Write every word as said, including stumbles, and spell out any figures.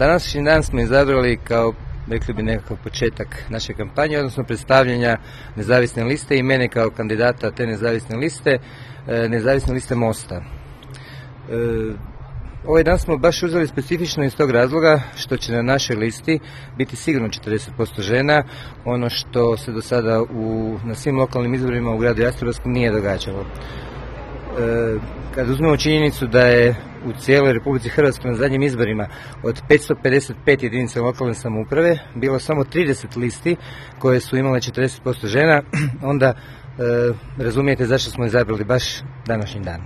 Današnji dan smo izabrali kao, rekli bi, nekakav početak naše kampanje, odnosno predstavljanja nezavisne liste i mene kao kandidata te nezavisne liste, nezavisne liste Mosta. Ovaj dan smo baš uzeli specifično iz tog razloga što će na našoj listi biti sigurno četrdeset posto žena, ono što se do sada u, na svim lokalnim izborima u gradu Jastrebarskom nije događalo. E, kad uzmemo činjenicu da je u cijeloj Republici Hrvatskoj na zadnjim izborima od petsto pedeset pet jedinica lokalne samouprave bilo samo trideset listi koje su imale četrdeset posto žena, onda e, razumijete zašto smo izabrali baš današnji dan.